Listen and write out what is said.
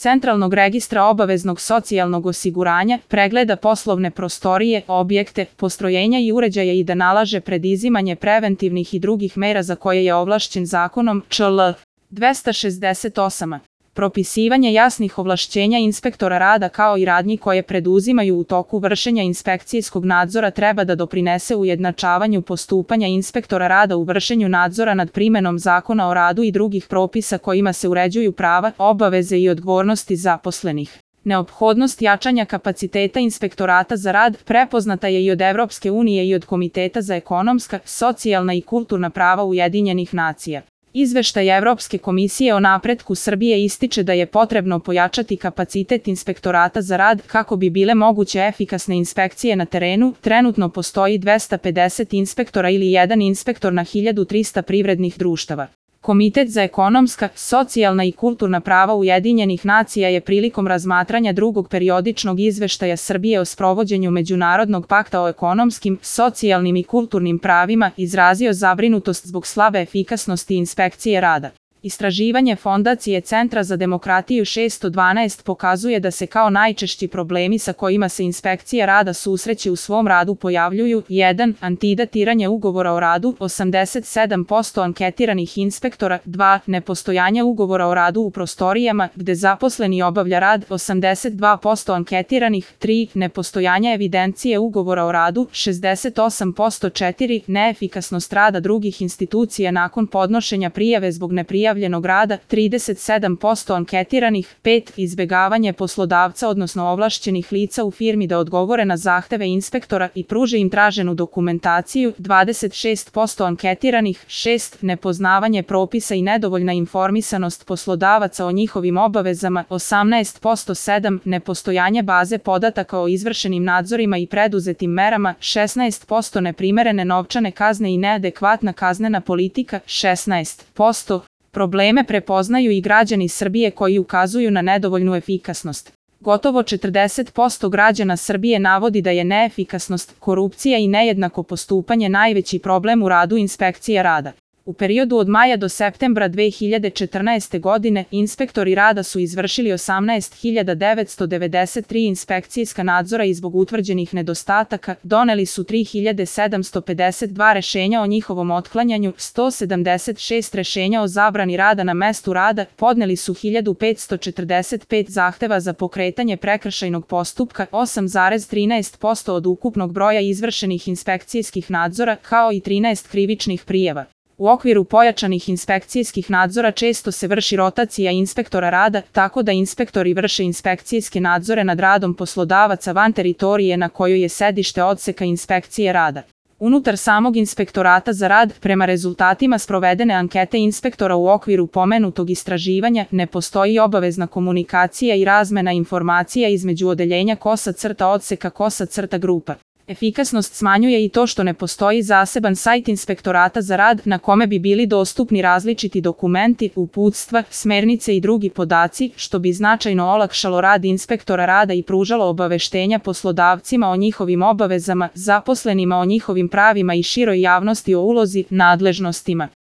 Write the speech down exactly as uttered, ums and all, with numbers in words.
Centralnog registra obaveznog socijalnog osiguranja, pregleda poslovne prostorije, objekte, postrojenja i uređaja i da nalaže preduzimanje preventivnih i drugih mera za koje je ovlašćen zakonom, čl. dvesta šezdeset osam. Propisivanje jasnih ovlašćenja inspektora rada kao i radnji koje preduzimaju u toku vršenja inspekcijskog nadzora treba da doprinese ujednačavanju postupanja inspektora rada u vršenju nadzora nad primenom Zakona o radu i drugih propisa kojima se uređuju prava, obaveze i odgovornosti zaposlenih. Neophodnost jačanja kapaciteta inspektorata za rad prepoznata je i od Evropske unije i od Komiteta za ekonomska, socijalna i kulturna prava Ujedinjenih nacija. Izveštaj Evropske komisije o napretku Srbije ističe da je potrebno pojačati kapacitet inspektorata za rad kako bi bile moguće efikasne inspekcije na terenu. Trenutno postoji dvesta pedeset inspektora ili jedan inspektor na hiljadu trista privrednih društava. Komitet za ekonomska, socijalna i kulturna prava Ujedinjenih nacija je prilikom razmatranja drugog periodičnog izveštaja Srbije o sprovođenju Međunarodnog pakta o ekonomskim, socijalnim i kulturnim pravima izrazio zabrinutost zbog slabe efikasnosti inspekcije rada. Istraživanje Fondacije Centra za demokratiju šesto dvanaest pokazuje da se kao najčešći problemi sa kojima se inspekcija rada susreće u svom radu pojavljuju: jedan. Antidatiranje ugovora o radu, osamdeset sedam posto anketiranih inspektora, dva. Nepostojanje ugovora o radu u prostorijama gde zaposleni obavlja rad, osamdeset dva posto anketiranih, tri. Nepostojanje evidencije ugovora o radu, šezdeset osam posto, četiri. Neefikasnost rada drugih institucija nakon podnošenja prijave zbog neprijavljenog rada, trideset sedam posto anketiranih, pet. Izbegavanje poslodavca odnosno ovlašćenih lica u firmi da odgovore na zahteve inspektora i pruže im traženu dokumentaciju, dvadeset šest posto anketiranih, šest. Nepoznavanje propisa i nedovoljna informisanost poslodavaca o njihovim obavezama, osamnaest posto, sedam. Nepostojanje baze podataka o izvršenim nadzorima i preduzetim merama, šesnaest posto. Neprimerene novčane kazne i neadekvatna kaznena politika, šesnaest posto. Probleme prepoznaju i građani Srbije koji ukazuju na nedovoljnu efikasnost. Gotovo četrdeset posto građana Srbije navodi da je neefikasnost, korupcija i nejednako postupanje najveći problem u radu inspekcija rada. U periodu od maja do septembra dve hiljade četrnaeste. godine inspektori rada su izvršili osamnaest hiljada devetsto devedeset tri inspekcijska nadzora i zbog utvrđenih nedostataka doneli su tri hiljade sedamsto pedeset dva rešenja o njihovom otklanjanju, sto sedamdeset šest rešenja o zabrani rada na mestu rada, podneli su hiljadu petsto četrdeset pet zahteva za pokretanje prekršajnog postupka, osam zarez trinaest posto od ukupnog broja izvršenih inspekcijskih nadzora, kao i trinaest krivičnih prijava. U okviru pojačanih inspekcijskih nadzora često se vrši rotacija inspektora rada, tako da inspektori vrše inspekcijske nadzore nad radom poslodavaca van teritorije na kojoj je sedište odseka inspekcije rada. Unutar samog inspektorata za rad, prema rezultatima sprovedene ankete inspektora u okviru pomenutog istraživanja, ne postoji obavezna komunikacija i razmena informacija između odeljenja kosa crta odseka kosa crta grupa. Efikasnost smanjuje i to što ne postoji zaseban sajt inspektorata za rad na kome bi bili dostupni različiti dokumenti, uputstva, smernice i drugi podaci, što bi značajno olakšalo rad inspektora rada i pružalo obaveštenja poslodavcima o njihovim obavezama, zaposlenima o njihovim pravima i široj javnosti o ulozi, nadležnostima.